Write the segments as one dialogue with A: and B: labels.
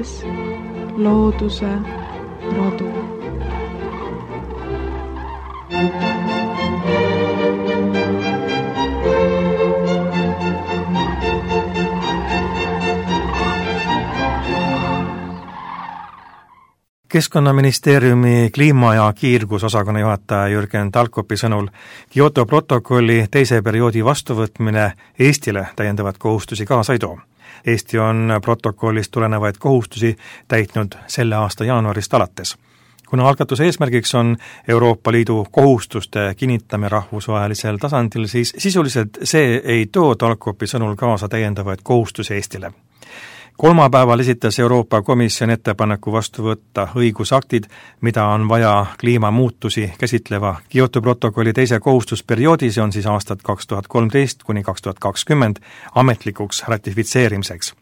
A: luues looduse rodu.
B: Keskkonnaministeeriumi kliima- ja kiirgusosakonna juhataja Jürgen Talkopi sõnul Kyoto protokolli teise perioodi vastuvõtmine Eestile täiendavad kohustusi kaasa ei too. Eesti on protokollist tulenevaid kohustusi täitnud selle aasta jaanuarist alates. Kuna algatuse eesmärgiks on Euroopa Liidu kohustuste kinnitamine rahvusvahelisel tasandil, siis sisuliselt see ei too Talkopi sõnul kaasa täiendavaid kohustusi Eestile. Kolmapäeval esitas Euroopa Komisjon ettepaneku vastu võtta õigusaktid, mida on vaja kliimamuutusi käsitleva Kyoto protokolli teise kohustusperioodi, see on siis aastad 2013 kuni 2020 ametlikuks ratifitseerimiseks.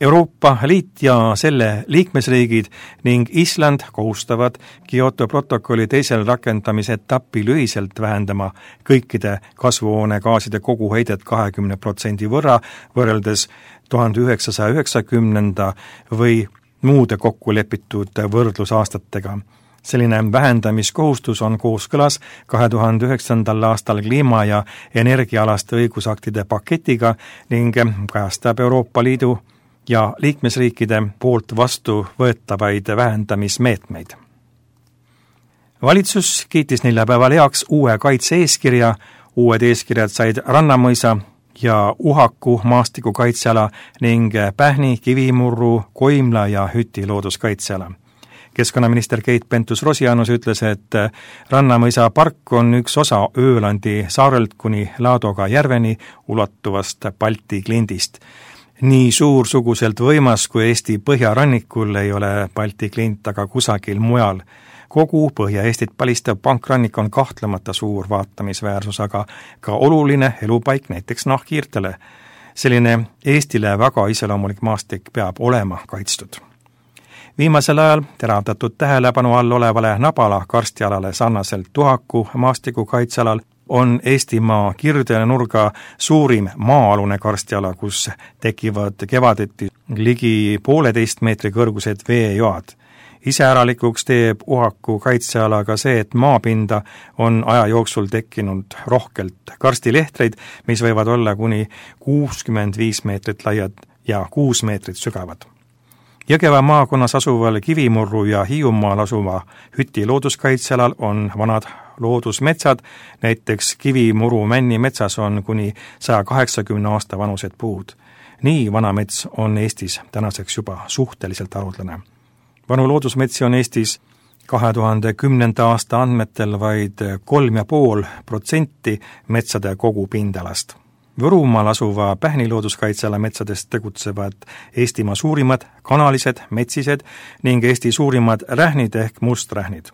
B: Euroopa Liit ja selle liikmesriigid ning Island kohustavad Kyoto protokolli teisel rakendamise etapil ühiselt vähendama kõikide kasvuhoonegaaside koguheidet 20% võrra võrreldes 1990 või muude kokkulepitud võrdlusaastatega. Selline vähendamiskohustus on kooskõlas 2009. aastal kliima- ja energiaalaste õigusaktide paketiga ning kajastab Euroopa Liidu ja liikmesriikide poolt vastu võetavaid vähendamismeetmeid. Valitsus kiitis neljapäeval heaks uue kaitse-eeskirja, uued eeskirjad said Rannamõisa ja Uhaku maastikukaitseala ning Pähni, Kivimurru, Koimla ja Hüti looduskaitseala. Keskkonnaminister Keit Pentus-Rosimannus ütles, et Rannamõisa park on üks osa Öölandi saarelt kuni Laadoga järveni ulatuvast Balti klindist. Nii suursuguselt võimas kui Eesti põhjarannikul ei ole Balti klint aga kusagil mujal. Kogu Põhja-Eestit palistav pankrannik on kahtlemata suur vaatamisväärsus, aga ka oluline elupaik näiteks nahkhiirtele. Selline Eestile väga iseloomulik maastik peab olema kaitstud. Viimasel ajal teravdatud tähelepanu all olevale Nabala karstialale sarnaselt Uhaku maastikukaitsealal on Eestimaa kirde nurga suurim maa-alune karstiala, kus tekivad kevadeti ligi 1,5 meetri kõrgused veejoad. Iseäralikuks teeb Uhaku kaitsealaga see, et maapinda on aja jooksul tekkinud rohkelt karstilehtreid, mis võivad olla kuni 65 meetrit laiad ja 6 meetrit sügavad. Jõgeva maakonnas asuval Kivimurru ja Hiiumaal asuva Hüti looduskaitsealal on vanad loodusmetsad, näiteks Kivimuru männimetsas on kuni 180 aasta vanused puud. Nii vana mets on Eestis tänaseks juba suhteliselt haruldane. Vanu loodusmetsi on Eestis 2010. aasta andmetel vaid 3,5% metsade kogupindalast. Võrumaal asuva Pähni looduskaitseala metsadest tegutsevad Eestimaa suurimad kanalised, metsised ning Eesti suurimad rähnid ehk musträhnid.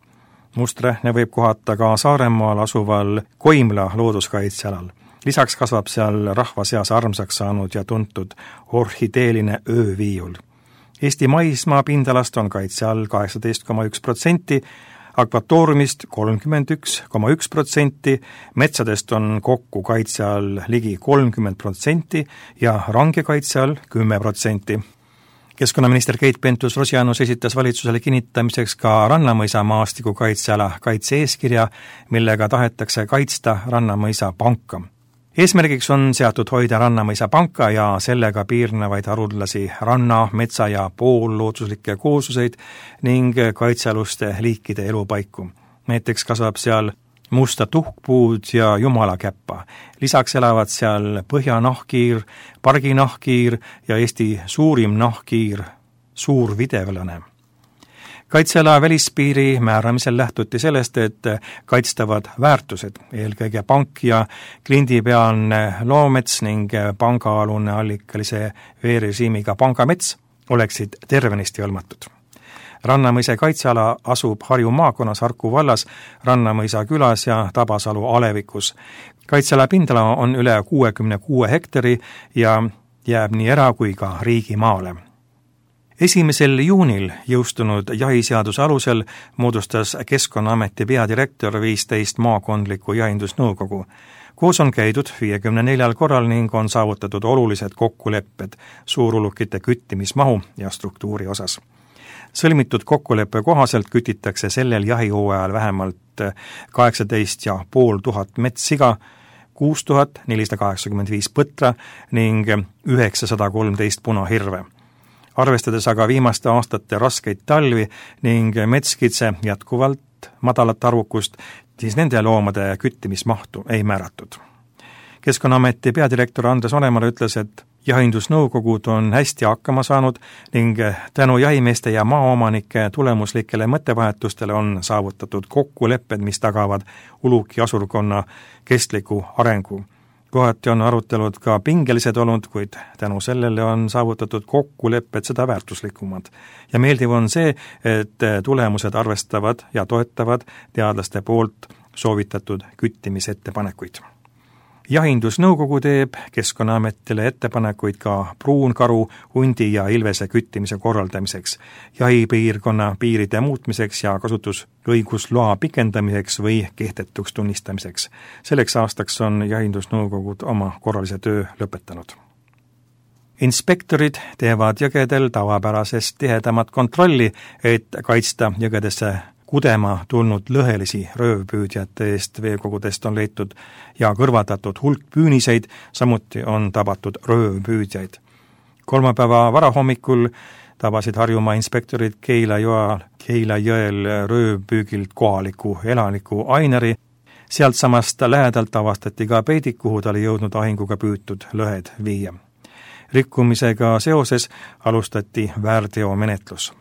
B: Musträhne võib kohata ka Saaremaal asuval Koimla looduskaitsealal. Lisaks kasvab seal rahva seas armsaks saanud ja tuntud orhideeline ööviiul. Eesti maismaa pindalast on kaitse all 18,1%, akvatooriumist 31,1%, metsadest on kokku kaitse all ligi 30% ja range kaitse all 10%. Keskkonnaminister Keit Pentus-Rosimannus esitas valitsusele kinnitamiseks ka Rannamõisa maastikukaitseala kaitse-eeskirja, millega tahetakse kaitsta Rannamõisa panka. Eesmärgiks on seatud hoida Rannamõisa panka ja sellega piirnevaid haruldasi ranna, metsa ja poollooduslikke koosluseid ning kaitsealuste liikide elupaiku. Näiteks kasvab seal musta tuhkpuud ja jumalakäppa. Lisaks elavad seal põhjanahkhiir, parginahkhiir ja Eesti suurim nahkhiir, suur videvlane. Kaitseala välispiiri määramisel lähtuti sellest, et kaitstavad väärtused, eelkõige pank ja klindipealne loomets ning pangaalune allikalise veerežiimiga pangamets oleksid tervenisti hõlmatud. Rannamõisa kaitseala asub Harju maakonnas Harku vallas, Rannamõisa külas ja Tabasalu alevikus. Kaitseala pindala on üle 66 hektari ja jääb nii era- kui ka riigimaale. 1. juunil jõustunud jahiseaduse alusel moodustas Keskkonnaameti peadirektor 15 maakondlikku jahindusnõukogu. Koos on käidud 54 korral ning on saavutatud olulised kokkulepped suurulukite küttimismahu ja struktuuri osas. Sõlmitud kokkuleppe kohaselt kütitakse sellel jahihooajal vähemalt 18 500 metssiga, 6485 põtra ning 913 punahirve. Arvestades aga viimaste aastate raskeid talvi ning metskitse jätkuvalt madalat arvukust, siis nende loomade küttimismahtu ei määratud. Keskkonnaameti peadirektor Andres Onemar ütles, et jahindusnõukogud on hästi hakkama saanud ning tänu jahimeeste ja maaomanike tulemuslikele mõttevahetustele on saavutatud kokkulepped, mis tagavad uluki asurkonna kestliku arengu. Kohati on arutelud ka pingelised olnud, kuid tänu sellele on saavutatud kokkulepped seda väärtuslikumad. Ja meeldiv on see, et tulemused arvestavad ja toetavad teadlaste poolt soovitatud küttimisettepanekuid. Jahindusnõukogu teeb Keskkonnaametile ettepanekuid ka pruunkaru, hundi ja ilvese küttimise korraldamiseks, jahipiirkonna piiride muutmiseks ja kasutusõigusloa pikendamiseks või kehtetuks tunnistamiseks. Selleks aastaks on Jahindusnõukogud oma korralise töö lõpetanud. Inspektorid teevad jõgedel tavapärasest tihedamat kontrolli, et kaitsta jõgedesse kudema tulnud lõhelisi röövpüüdjate eest. Veekogudest on leitud ja kõrvaldatud hulk püüniseid, samuti on tabatud röövpüüdjaid. Kolmapäeva varahommikul tabasid Harjumaa inspektorid Keila jõel röövpüügilt kohaliku elaniku Ainari. Sealt samast lähedalt avastati ka peidik, kuhu ta oli jõudnud ahinguga püütud lõhed viia. Rikkumisega seoses alustati väärteomenetlus.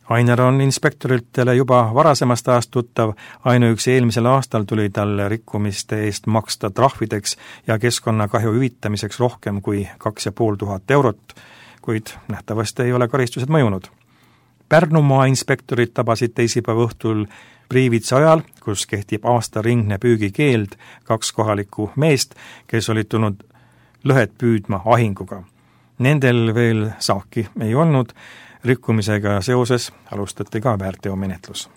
B: Ainar on inspektoritele juba varasemast ajast tuttav, ainuüksi eelmisel aastal tuli talle rikkumiste eest maksta trahvideks ja keskkonnakahju hüvitamiseks rohkem kui 2500 eurot, kuid nähtavasti ei ole karistused mõjunud. Pärnumaa inspektorid tabasid teisipäeva õhtul Priivitsa ajal, kus kehtib aastaringne püügikeeld, 2 kohalikku meest, kes olid tulnud lõhed püüdma ahinguga. Nendel veel saaki ei olnud. Rikkumisega seoses alustati ka väärteomenetlus.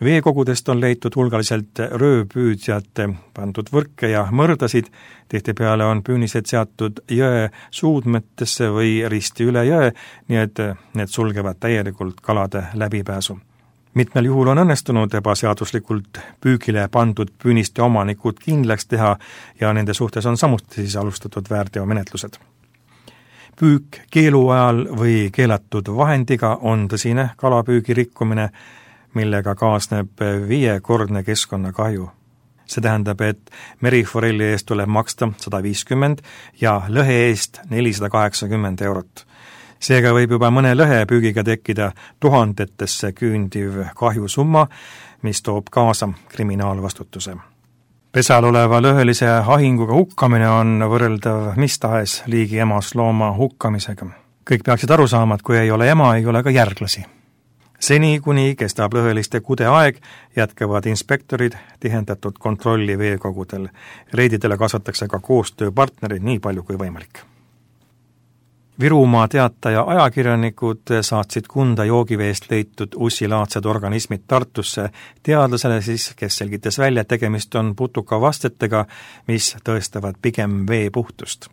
B: Veekogudest on leitud hulgaliselt röövpüüdjate pandud võrke ja mõrdasid, tihtipeale on püünised seatud jõe suudmetesse või risti üle jõe, nii et need sulgevad täielikult kalade läbipääsu. Mitmel juhul on õnnestunud ebaseaduslikult püügile pandud püüniste omanikud kindlaks teha ja nende suhtes on samuti siis alustatud väärteomenetlused. Püük keelu ajal või keelatud vahendiga on tõsine kalapüügi rikkumine, millega kaasneb 5-kordne keskkonnakahju. See tähendab, et meriforelli eest tuleb maksta 150 ja lõhe eest 480 eurot. Seega võib juba mõne lõhe püügiga tekkida tuhandetesse küündiv kahjusumma, mis toob kaasa kriminaalvastutuse. Pesal oleva lõhelise ahinguga hukkamine on võrreldav mis tahes liigi emaslooma hukkamisega. Kõik peaksid aru saama, et kui ei ole ema, ei ole ka järglasi. Seni, kuni kestab lõheliste kude aeg, jätkavad inspektorid tihendatud kontrolli veekogudel. Reididele kasvatakse ka koostööpartnerid nii palju kui võimalik. Virumaa Teataja ajakirjanikud saatsid Kunda joogiveest leitud ussilaadsed organismid Tartusse teadlasele siis, kes selgitas välja, et tegemist on putukavastetega, mis tõestavad pigem vee puhtust.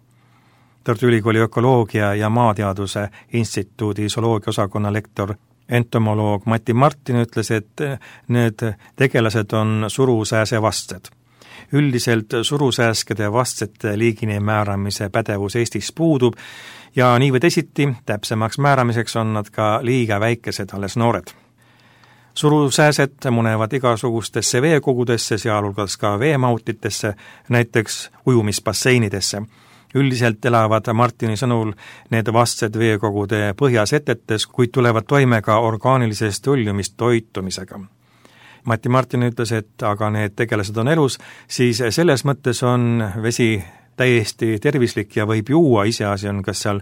B: Tartu Ülikooli ökoloogia ja maateaduse instituudi zooloogiaosakonna lektor entomoloog Mati Martin ütles, et need tegelased on surusääse vastsed. Üldiselt surusääskede vastsete liigini määramise pädevus Eestis puudub ja nii või teisiti täpsemaks määramiseks on nad ka liiga väikesed, alles noored. Surusääsed munevad igasugustesse veekogudesse, sealhulgas ka veemautitesse, näiteks ujumisbasseinidesse. Üldiselt elavad Martini sõnul need vastsed veekogude põhjasetetes, kuid tulevad toime ka orgaanilisest õljumist toitumisega. Mati Martin ütles, et aga need tegelased on elus, siis selles mõttes on vesi täiesti tervislik ja võib juua, iseasi on, kas seal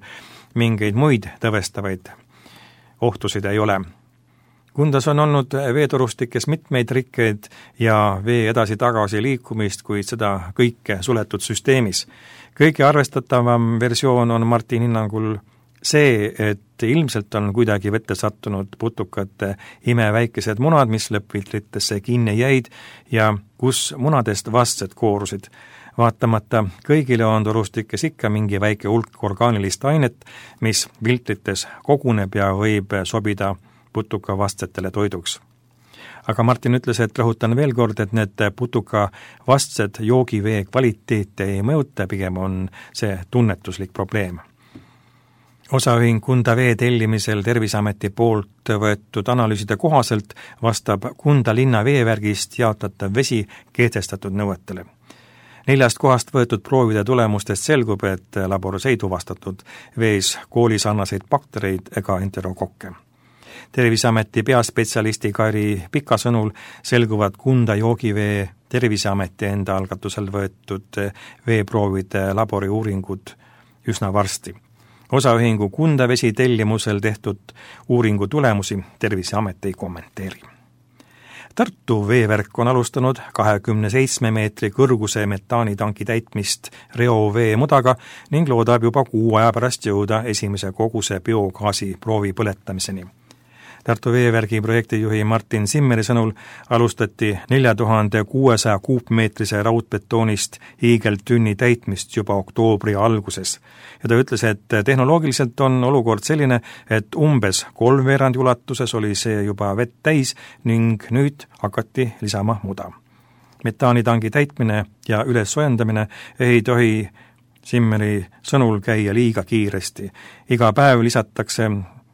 B: mingeid muid tõvestavaid ohtusid ei ole. Kundas on olnud veetorustikes mitmeid rikkeid ja vee edasi-tagasi liikumist, kuid seda kõike suletud süsteemis. Kõige arvestatavam versioon on Martin hinnangul See, et ilmselt on kuidagi vette sattunud putukate imeväikesed munad, mis lõppfiltritesse kinni jäid ja kus munadest vastsed koorusid. Vaatamata kõigile on torustikes ikka mingi väike hulk orgaanilist ainet, mis filtrites koguneb ja võib sobida putukavastsetele toiduks. Aga Martin ütles, et rõhutan veel kord, et need putukavastsed joogivee kvaliteete ei mõjuta, pigem on see tunnetuslik probleem. Osaühing Kunda vee tellimisel Terviseameti poolt võetud analüüside kohaselt vastab Kunda linna veevärgist jaotatav vesi kehtestatud nõuetele. 4 kohast võetud proovide tulemustest selgub, et laboris ei tuvastatud vees koolisarnaseid baktereid ega enterokokke. Terviseameti peaspetsialisti Kairi Pika sõnul selguvad Kunda joogivee Terviseameti enda algatusel võetud veeproovide laboriuuringud üsna varsti. Osaühingu Kunda vesi tellimusel tehtud uuringu tulemusi Terviseamet ei kommenteeri. Tartu veevärk on alustanud 27 meetri kõrguse metaanitanki täitmist reovee mudaga ning loodab juba 6 aja pärast jõuda esimese koguse biogaasi proovi põletamiseni. Tartu veevärgi projektijuhi Martin Simmeri sõnul alustati 4600 kuupmeetrise raudbetoonist hiigeltünni täitmist juba oktoobri alguses. Ja ta ütles, et tehnoloogiliselt on olukord selline, et umbes 3/4 ulatuses oli see juba vett täis ning nüüd hakati lisama muda. Metaanitangi täitmine ja ülessoojendamine ei tohi Simmeri sõnul käia liiga kiiresti. Iga päev lisatakse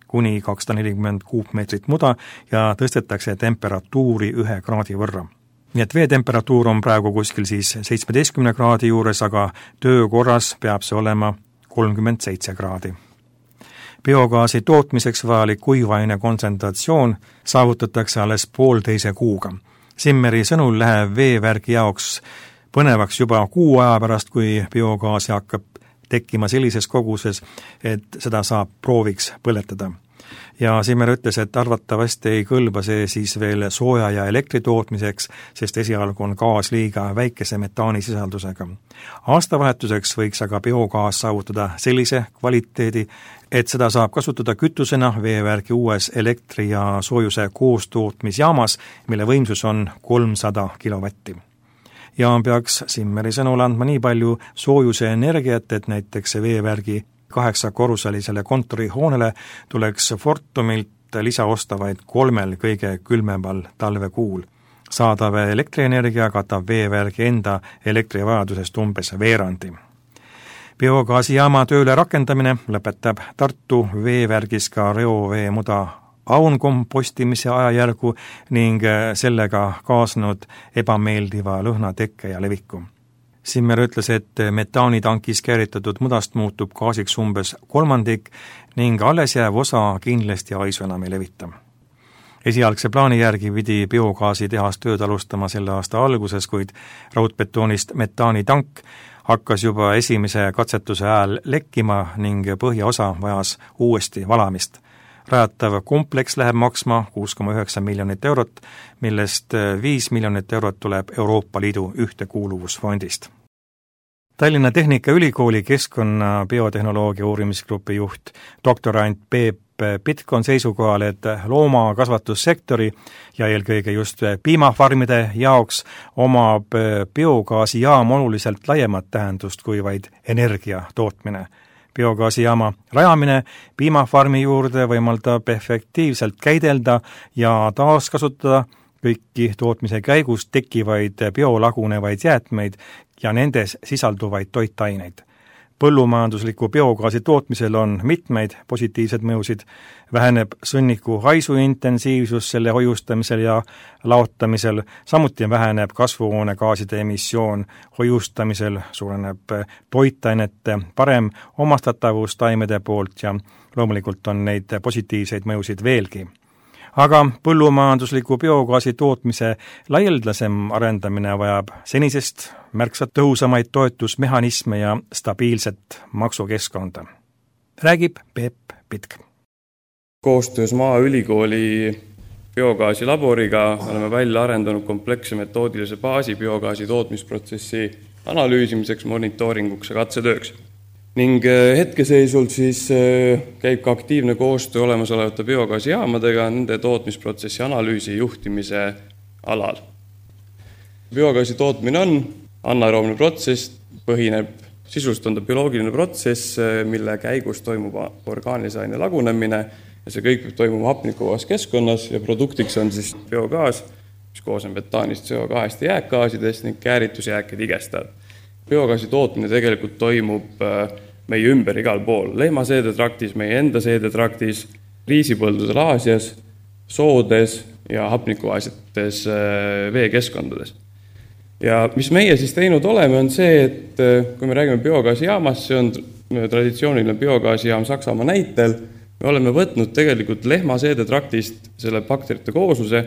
B: kuni 240 kuupmeetrit muda ja tõstetakse temperatuuri 1 kraadi võrra. Nii et veetemperatuur on praegu kuskil siis 17 kraadi juures, aga töökorras peab see olema 37 kraadi. Biogaasi tootmiseks vajalik kuivaine kontsentratsioon saavutatakse alles 1,5 kuuga. Simmeri sõnul läheb veevärgi jaoks põnevaks juba 6 aja pärast, kui biogaasi hakkab tekkima sellises koguses, et seda saab prooviks põletada. Ja Simmer ütles, et arvatavasti ei kõlba see siis veel sooja ja elektri tootmiseks, sest esialgu on gaas liiga väikese metaanisisaldusega. Aastavahetuseks võiks aga biogaas saavutada sellise kvaliteedi, et seda saab kasutada kütusena veevärgi uues elektri- ja soojuse koostootmisjaamas, mille võimsus on 300 kilovatti. Ja peaks Simmeri sõnul andma nii palju soojuse energiat, et näiteks veevärgi 8-korruselisele kontorihoonele tuleks Fortumilt lisaosta vaid 3 kõige külmemal talvekuul. Saadav elektrienergia katab veevärgi enda elektrivajadusest umbes veerandi. Biogaasijaama tööle rakendamine lõpetab Tartu veevärgis ka reovee muda aunkompostimise ajajärgu ning sellega kaasnud ebameeldiva lõhna tekke ja leviku. Simmer ütles, et metaanitankis kääritatud mudast muutub gaasiks umbes 1/3 ning alles jääv osa kindlasti haisu enam ei levita. Esialgse plaani järgi pidi biogaasitehas tööd alustama selle aasta alguses, kuid raudbetoonist metaanitank hakkas juba esimese katsetuse ajal lekkima ning põhjaosa vajas uuesti valamist. Rajatav kompleks läheb maksma 6,9 miljonit eurot, millest 5 miljonit eurot tuleb Euroopa Liidu ühtekuuluvusfondist. Tallinna Tehnikaülikooli keskkonna biotehnoloogia uurimisgrupi juht doktorant Peep Pitk on seisukohal, et loomakasvatussektori ja eelkõige just piimafarmide jaoks omab biogaasijaam oluliselt laiemat tähendust kui vaid energia tootmine. Biogaasijaama rajamine piimafarmi juurde võimaldab efektiivselt käidelda ja taaskasutada kõiki tootmise käigus tekkivaid biolagunevaid jäätmeid ja nendes sisalduvaid toitaineid. Põllumajandusliku biogaasi tootmisel on mitmeid positiivsed mõjusid, väheneb sõnniku haisu intensiivsus selle hoiustamisel ja laotamisel, samuti väheneb kasvuhoonegaaside emissioon hoiustamisel, suureneb toitainete parem omastatavus taimede poolt ja loomulikult on neid positiivseid mõjusid veelgi. Aga põllumajandusliku biogaasi tootmise laialdasem arendamine vajab senisest märksa tõhusamaid toetusmehhanisme ja stabiilset maksukeskkonda. Räägib Peep Pitk.
C: Koostöös Maaülikooli biogaasi-laboriga oleme välja arendanud kompleksse metoodilise baasi biogaasi tootmisprotsessi analüüsimiseks, monitooringuks ja katsetööks. ning hetkeseisult siis käib ka aktiivne koostöö olemasolevate biogaasijaamadega nende tootmisprotsessi analüüsi ja juhtimise alal. Biogaasi tootmine on anaeroobne protsess, põhineb sisust on ta bioloogiline protsess, mille käigus toimub orgaanilise aine lagunemine ja see kõik peab toimuma hapnikuvabas keskkonnas ja produktiks on siis biogaas, mis koosneb metaanist, CO2 ja jääkgaasidest ning kääritusjääke tigestavad. Biogaasi tootmine tegelikult toimub meie ümber igal pool, lehmaseedetraktis, meie enda seedetraktis, riisipõldudel Aasias, soodes ja hapnikuvaasites veekeskkondades. Ja mis meie siis teinud oleme, on see, et kui me räägime biogaasijaamast, see on traditsiooniline biogaasijaam Saksamaa näitel, me oleme võtnud tegelikult lehmaseedetraktist selle bakterite koosluse,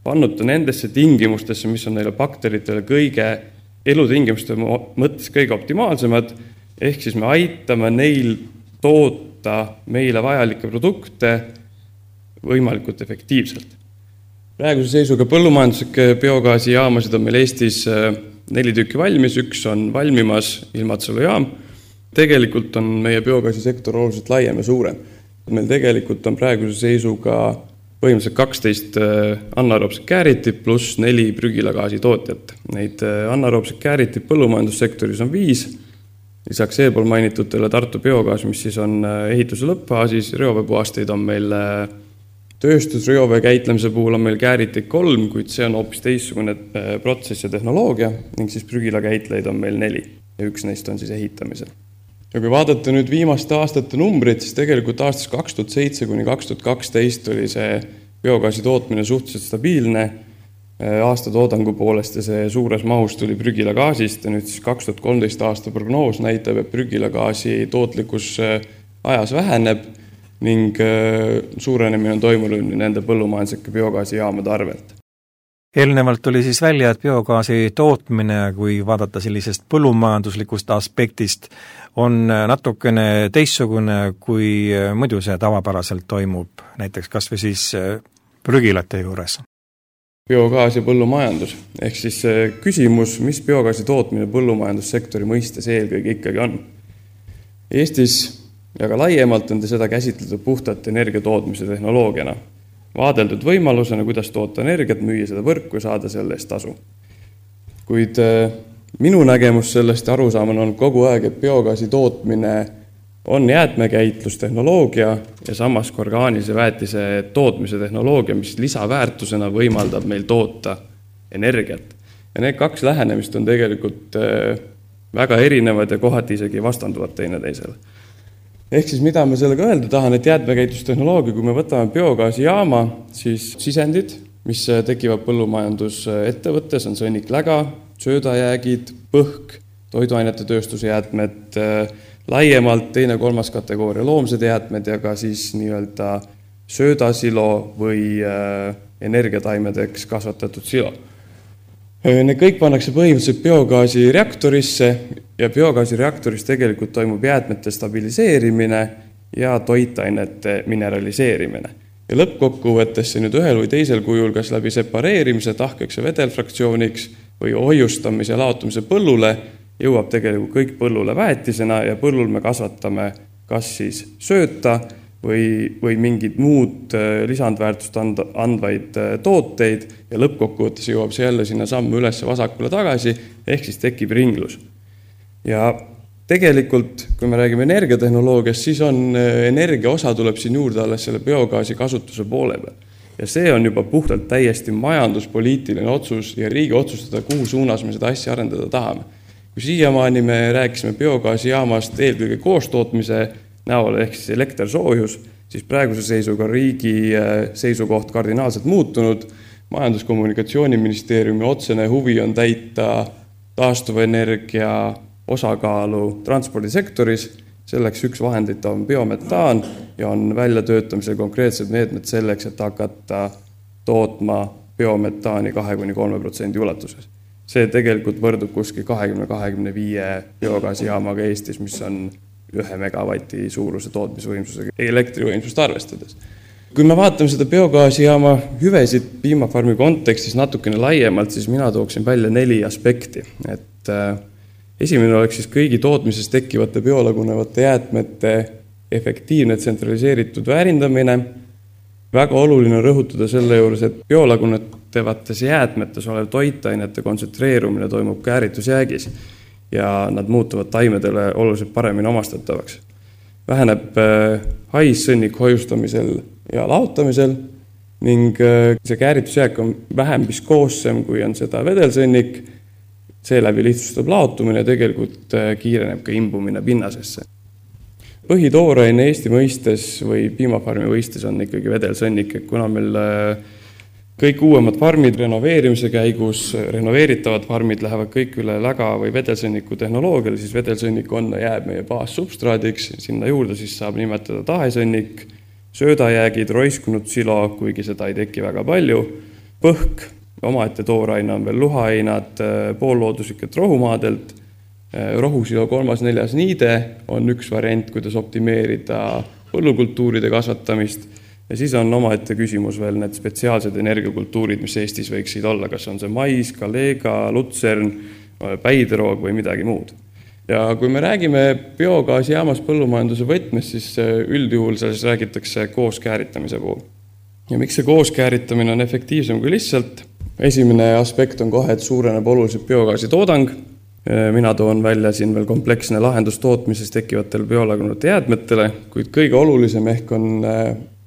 C: pannud ta nendesse tingimustesse, mis on neile bakteritele kõige elutingimuste mõttes kõige optimaalsemad, ehk siis me aitame neil toota meile vajalikke produkte võimalikult efektiivselt. Praeguse seisuga põllumajanduslikke biogaasijaamasid on meil Eestis 4 tükki valmis, üks on valmimas Ilmatsalu jaam. Tegelikult on meie biogaasisektor oluliselt laiem ja suurem. Meil tegelikult on praeguse seisuga põhimõtteliselt 12 anaeroobset kääritip pluss 4 prügilagaasi tootjat. Neid anaeroobset kääritip põllumajandussektoris on 5, lisaks eelpool mainitutele Tartu biogaas, mis siis on ehituse lõppfaasis, reoveepuhasteid on meil tööstusreovee käitlemise puhul on meil kääritik 3, kuid see on hoopis teistsugune protsess ja tehnoloogia ning siis prügilakäitleid on meil 4 ja üks neist on siis ehitamisel. Ja kui vaadata nüüd viimaste aastate numbrid, siis tegelikult aastast 2007 kuni 2012 oli see biogaasi tootmine suhteliselt stabiilne aasta toodangu poolest ja see suures mahus tuli prügilagaasist ja nüüd siis 2013 aasta prognoos näitab, et prügilagaasi tootlikkus ajas väheneb ning suurenemine on toimunud nende põllumajanduslike biogaasijaamade arvelt.
B: Eelnevalt oli siis välja, et biogaasi tootmine, kui vaadata sellisest põllumajanduslikust aspektist, on natukene teistsugune, kui muidu see tavapäraselt toimub, näiteks kas või siis prügilate juures.
C: Biogaas ja põllumajandus, ehk siis küsimus, mis biogaasi tootmine põllumajandussektori mõistes eelkõige ikkagi on. Eestis ja ka laiemalt on seda käsitletud puhtalt energiatootmise tehnoloogiana. Vaadeldud võimalusena, kuidas toota energiat, müüa seda võrku ja saada selle eest tasu. Kuid minu nägemus sellest arusaamana on kogu aeg, et biogaasi tootmine on jäätmekäitlustehnoloogia ja samas orgaanilise väetise tootmise tehnoloogia, mis lisaväärtusena võimaldab meil toota energiat. Ja need 2 lähenemist on tegelikult väga erinevad ja kohati isegi vastanduvad teineteisele. Ehk siis mida ma sellega öelda tahan, et jäätmekäitlustehnoloogia, kui me võtame biogaasijaama, siis sisendid, mis tekivad põllumajandusettevõttes, on sõnnikläga, söödajäägid, põhk, toiduainete tööstuse jäätmed, laiemalt 2.–3. kategooria loomsed jäätmed ja ka siis nii-öelda söödasilo või energiataimedeks kasvatatud silo. Need kõik pannakse põhimõtteliselt biogaasi reaktorisse ja biogaasi reaktoris tegelikult toimub jäätmete stabiliseerimine ja toitainete mineraliseerimine. Ja lõppkokkuvõttes see nüüd ühel või teisel kujul, kas läbi separeerimise, tahkeks ja vedelfraktsiooniks või hoiustamise ja laotumise põllule, jõuab tegelikult kõik põllule väetisena ja põllul me kasvatame kas siis sööta või mingid muud lisandväärtust andvaid tooteid ja lõppkokkuvõttes jõuab see jälle sinna sammu üles vasakule tagasi, ehk siis tekib ringlus. Ja tegelikult, kui me räägime energiatehnoloogiast, siis on energia osa tuleb siin juurde alles selle biogaasi kasutuse poole peal. Ja see on juba puhtalt täiesti majanduspoliitiline otsus ja riigi otsustada, kuhu suunas me seda asja arendada tahame. Kui siiamaani me rääkisime biogaasijaamast eelkõige koostootmise näol ehk siis elektersoojus, siis praeguse seisuga riigi seisukoht kardinaalselt muutunud. Majandus-kommunikatsiooniministeeriumi otsene huvi on täita taastuvenergia osakaalu transpordisektoris. Selleks üks vahendit on biometaan ja on väljatöötamisel konkreetsed meetmed selleks, et hakata tootma biometaani 2–3% ulatuses. See tegelikult võrdub kuskil 20–25 biogaasijaamaga Eestis, mis on 1 megavati suuruse tootmisvõimsusega elektrivõimsust arvestades. Kui me vaatame seda biogaasijaama hüvesid piimafarmi kontekstis natukene laiemalt, siis mina tooksin välja 4 aspekti. Et Esimene oleks siis kõigi tootmises tekkivate biolagunevate jäätmete efektiivne tsentraliseeritud väärindamine. Väga oluline on rõhutada selle juures, et biolagunevates jäätmetes olev toitainete kontsentreerumine toimub kääritusjäägis ja nad muutuvad taimedele oluliselt paremini omastatavaks. Väheneb haissõnnik hoiustamisel ja laotamisel ning see kääritusjääk on vähem viskoossem, kui on seda vedelsõnnik. Seeläbi lihtsustab laotumine ja tegelikult kiireneb ka imbumine pinnasesse. Põhitooraine Eesti mõistes või piimafarmi mõistes on ikkagi vedelsõnnik, kuna meil kõik uuemad farmid renoveerimise käigus, renoveeritavad farmid lähevad kõik üle läga või vedelsõnniku tehnoloogiale, siis vedelsõnnik on ja jääb meie baassubstraadiks, sinna juurde siis saab nimetada tahesõnnik, söödajäägid, roiskunud silo, kuigi seda ei teki väga palju, põhk, omaette tooraine on veel luhainad poollooduslikelt rohumaadelt, rohusilo 3.4. niide on üks variant, kuidas optimeerida põllukultuuride kasvatamist ja siis on omaette küsimus veel need spetsiaalsed energiakultuurid, mis Eestis võiksid olla, kas on see mais, kaleega, lutsern, päideroog või midagi muud. Ja kui me räägime biogaasijaamas põllumajanduse võtmes, siis üldjuhul selles räägitakse koos kääritamise puhul. Ja miks see koos kääritamine on efektiivsem kui lihtsalt? Esimene aspekt on kohe, et suureneb oluliselt biogaasi toodang. Mina toon välja siin veel kompleksne lahendus tootmises tekkivatele biolagunevate jäätmetele, kuid kõige olulisem ehk on,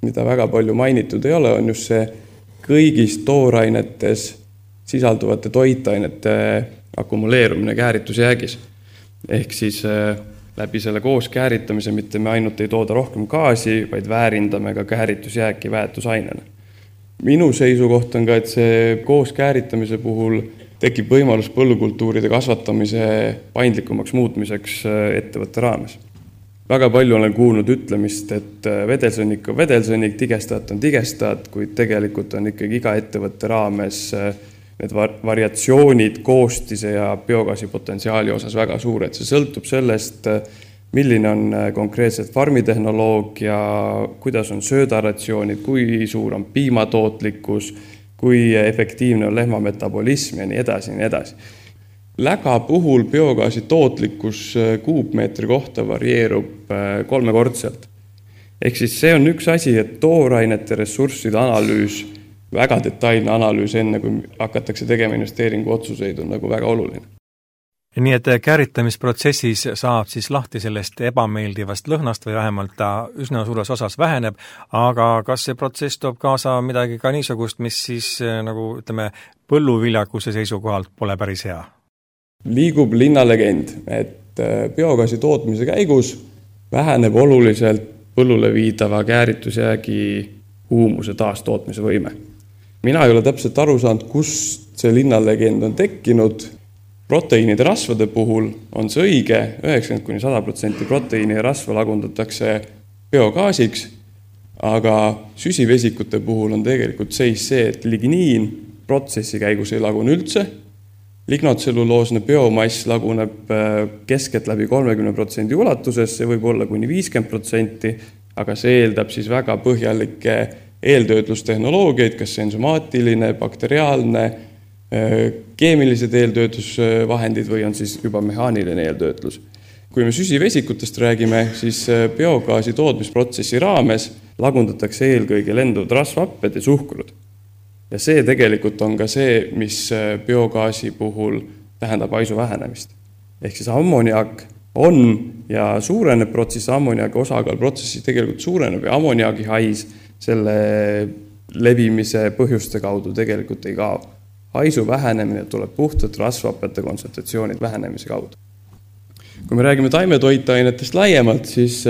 C: mida väga palju mainitud ei ole, on just see kõigis toorainetes sisalduvate toitainete akumuleerumine kääritusjäägis. Ehk siis läbi selle koos kääritamise mitte me ainult ei tooda rohkem gaasi, vaid väärindame ka kääritusjääki väetusainena. Minu seisukoht on ka, et see koos kääritamise puhul tekib võimalus põllukultuuride kasvatamise paindlikumaks muutmiseks ettevõtte raames. Väga palju olen kuulnud ütlemist, et vedelsõnnik on vedelsõnnik, tigestajat on tigestajat, kuid tegelikult on ikkagi iga ettevõtte raames need variatsioonid koostise ja biogaasi potentsiaali osas väga suured. See sõltub sellest, milline on konkreetselt farmitehnoloogia, kuidas on söödaratsioonid, kui suur on piimatootlikkus, kui efektiivne on lehma metabolism ja nii edasi, nii edasi. Läga puhul biogaasi tootlikkus kuupmeetri kohta varieerub 3-kordselt. Ehk siis see on üks asi, et toorainete ressursside analüüs, väga detailne analüüs enne, kui hakatakse tegema investeeringu otsuseid, on nagu väga oluline.
B: Nii et kääritamisprotsessis saab siis lahti sellest ebameeldivast lõhnast või vähemalt ta üsna suures osas väheneb, aga kas see protsess toob kaasa midagi ka niisugust, mis siis nagu ütleme põlluviljakuse seisukohalt pole päris hea?
C: Liigub linnalegend, et biogaasi tootmise käigus väheneb oluliselt põllule viidava kääritusjäägi huumuse taastootmise võime. Mina ei ole täpselt aru saanud, kust see linnalegend on tekkinud. Proteiinide rasvade puhul on see õige, 90–100% proteiini ja rasva lagundatakse biogaasiks, aga süsivesikute puhul on tegelikult seis see, et ligniin protsessi käigus ei lagune üldse, lignotselluloosne biomass laguneb keskelt läbi 30% ulatuses, see võib olla kuni 50%, aga see eeldab siis väga põhjalikke eeltöötlustehnoloogiaid, kas ensomaatiline, bakteriaalne, keemilised eeltöötlusvahendid või on siis juba mehaaniline eeltöötlus. Kui me süsivesikutest räägime, siis biogaasi tootmisprotsessi raames lagundatakse eelkõige lenduvad rasvhapped ja suhkrud. Ja see tegelikult on ka see, mis biogaasi puhul tähendab haisu vähenemist. Ehk siis ammoniak on ja suureneb protsess, ammoniaki osakaal protsessi tegelikult suureneb ja ammoniaki hais selle levimise põhjuste kaudu tegelikult ei kao. Haisu vähenemine tuleb puhtalt rasvhappete kontsentratsioonid vähenemise kaudu. Kui me räägime taimetoitainetest laiemalt, siis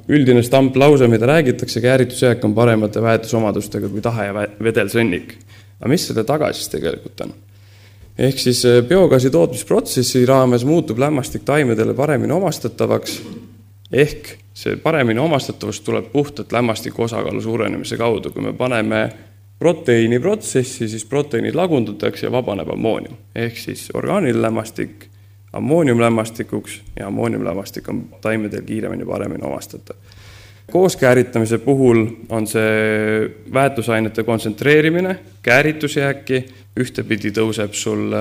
C: üldine stamplause, mida räägitakse, kääritusjääk on paremate väetusomadustega kui tahe ja vedelsõnnik. Aga mis selle taga siis tegelikult on? Ehk siis biogaasi tootmisprotsessi raames muutub lämmastik taimedele paremini omastatavaks, ehk see paremini omastatavus tuleb puhtalt lämmastiku osakaalu suurenemise kaudu. Kui me paneme proteiini protsessi, siis proteiinid lagundatakse ja vabaneb ammoonium. Ehk siis orgaaniline lämmastik ammooniumlämmastikuks ja ammooniumlämmastik on taimedel kiiremini paremini omastatav. Koos kääritamise puhul on see väetusainete kontsentreerimine, kääritusjääki, ühtepidi tõuseb sul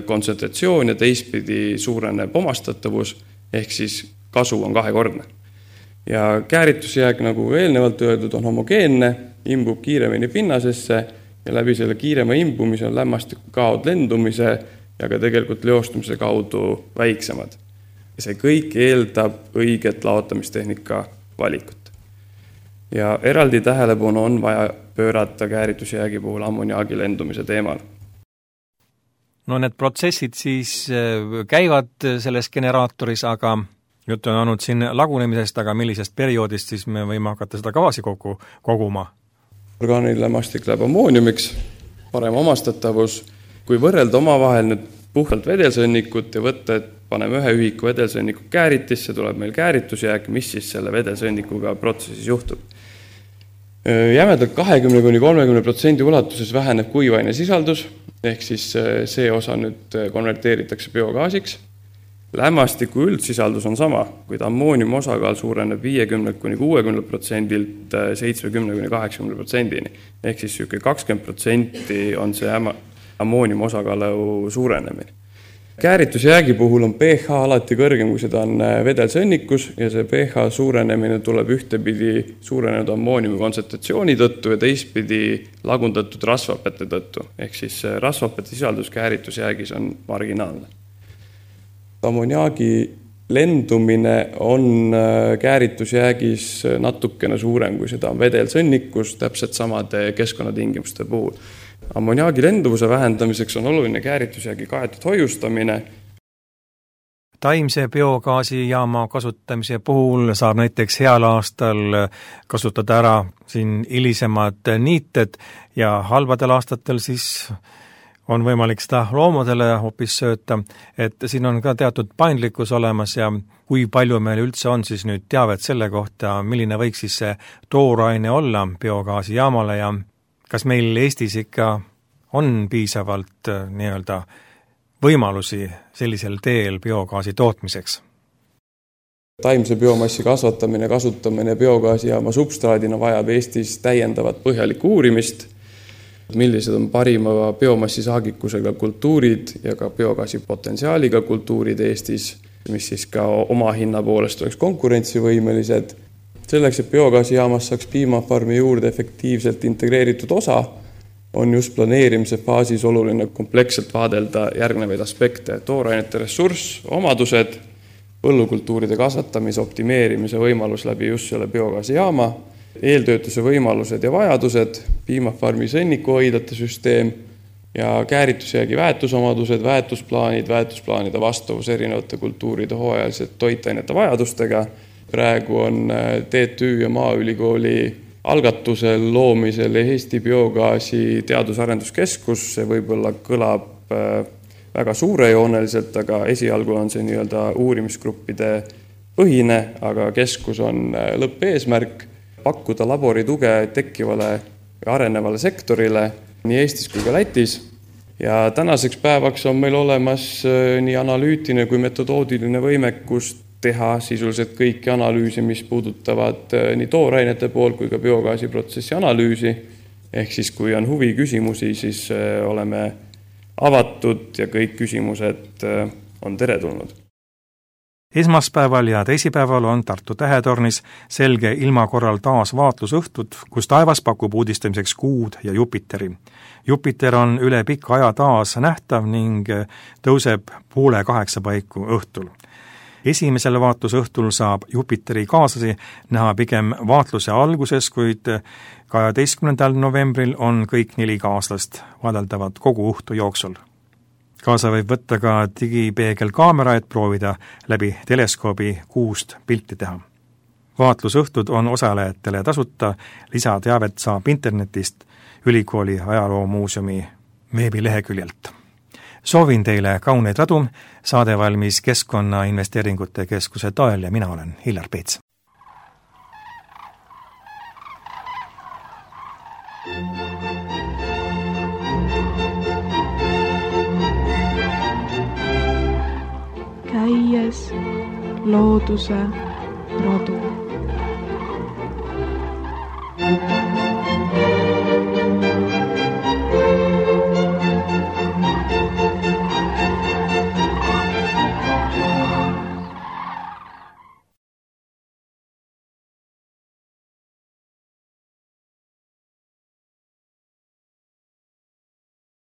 C: kontsentratsioon ja teistpidi suureneb omastatavus, ehk siis kasu on kahekordne. Ja kääritusjääk, nagu eelnevalt öeldud, on homogeenne, imbub kiiremini pinnasesse ja läbi selle kiirema imbumise on lämmastikukaod lendumise ja ka tegelikult leostumise kaudu väiksemad. Ja see kõik eeldab õiget laotamistehnika valikut. Ja eraldi tähelepanu on vaja pöörata kääritusjäägi puhul ammoniaagi lendumise teemal.
B: No need protsessid siis käivad selles generaatoris, aga juttu on olnud siin lagunemisest, aga millisest perioodist siis me võime hakata seda gaasi koguma?
C: Orgaaniline lämmastik läheb ammooniumiks, parem omastatavus. Kui võrrelda omavahel nüüd puhtalt vedelsõnnikut ja võtta, et paneme ühe ühiku vedelsõnniku kääritisse, tuleb meil kääritusjääk, mis siis selle vedelsõnnikuga protsessis juhtub. Jämedalt 20–30% ulatuses väheneb kuivaine sisaldus, ehk siis see osa nüüd konverteeritakse biogaasiks. Lämmastiku üldsisaldus on sama, kuid ammooniumi osakaal suureneb 50–60%-lt 70–80%-ni. Ehk siis 20% on see ammooniumi osakaalu suurenemine. Kääritusjäägi puhul on pH alati kõrgem, kui seda on vedelsõnnikus ja see pH suurenemine tuleb ühtepidi suurenenud ammooniumi kontsentratsiooni tõttu ja teistpidi lagundatud rasvhapete tõttu. Ehk siis rasvhapete sisaldus kääritusjäägis on marginaalne. Ammoniaagi lendumine on kääritusjäägis natukene suurem, kui seda on vedelsõnnikus täpselt samade keskkonnatingimuste puhul. Ammoniaagi lenduvuse vähendamiseks on oluline kääritusjäägi kaetud hoiustamine.
B: Taimse biogaasijaama kasutamise puhul saab näiteks heal aastal kasutada ära siin hilisemad niited ja halbadel aastatel siis on võimalik seda loomadele hoopis sööta, et siin on ka teatud paindlikkus olemas ja kui palju meil üldse on siis nüüd teavet selle kohta, milline võiks siis see tooraine olla biogaasijaamale ja kas meil Eestis ikka on piisavalt nii-öelda võimalusi sellisel teel biogaasi tootmiseks?
C: Taimse biomassi kasvatamine, kasutamine biogaasijaama substraadina vajab Eestis täiendavat põhjalikku uurimist, millised on parima biomassi saagikusega kultuurid ja ka biogaasi potentsiaaliga kultuurid Eestis, mis siis ka oma hinna poolest oleks konkurentsivõimelised. Selleks, et biogaasijaamas saaks piimafarmi juurde efektiivselt integreeritud osa, on just planeerimise faasis oluline kompleksselt vaadelda järgnevaid aspekte, toorainete ressurss, omadused, põllukultuuride kasvatamise, optimeerimise võimalus läbi just selle biogaasijaama, eeltöötuse võimalused ja vajadused, piimafarmi sõnnikuhoidlate süsteem ja kääritusjäägi väetusomadused, väetusplaanide vastavus erinevate kultuuride hooajalised toitainete vajadustega. Praegu on TTÜ ja Maaülikooli algatusel loomisel Eesti biogaasi teadus-arenduskeskus. See võib-olla kõlab väga suurejooneliselt, aga esialgu on see nii-öelda uurimisgruppide põhine, aga keskus on lõppeesmärk pakkuda laborituge tekkivale ja arenevale sektorile nii Eestis kui ka Lätis. Ja tänaseks päevaks on meil olemas nii analüütiline kui metodoodiline võimekus teha sisuliselt kõiki analüüsi, mis puudutavad nii toorainete pool kui ka biogaasiprotsessi analüüsi. Ehk siis, kui on huvi küsimusi, siis oleme avatud ja kõik küsimused on teretulnud.
B: Esmaspäeval ja teisipäeval on Tartu Tähetornis selge ilma korral taas vaatlusõhtud, kus taevas pakub uudistamiseks Kuud ja Jupiteri. Jupiter on üle pika aja taas nähtav ning tõuseb 7:30 paiku õhtul. Esimesel vaatlusõhtul saab Jupiteri kaaslasi näha pigem vaatluse alguses, kuid 12. novembril on kõik 4 kaaslast vaadeldavad kogu õhtu jooksul. Kaasa võib võtta ka digipeegelkaamera, et proovida läbi teleskoobi Kuust pilti teha. Vaatlusõhtud on osalejatele tasuta, lisateavet saab internetist Ülikooli ajaloomuuseumi veebileheküljelt. Soovin teile kauneid radu, saade valmis Keskkonnainvesteeringute Keskuse toel ja mina olen Hillar Peets.
A: Käies looduse radu.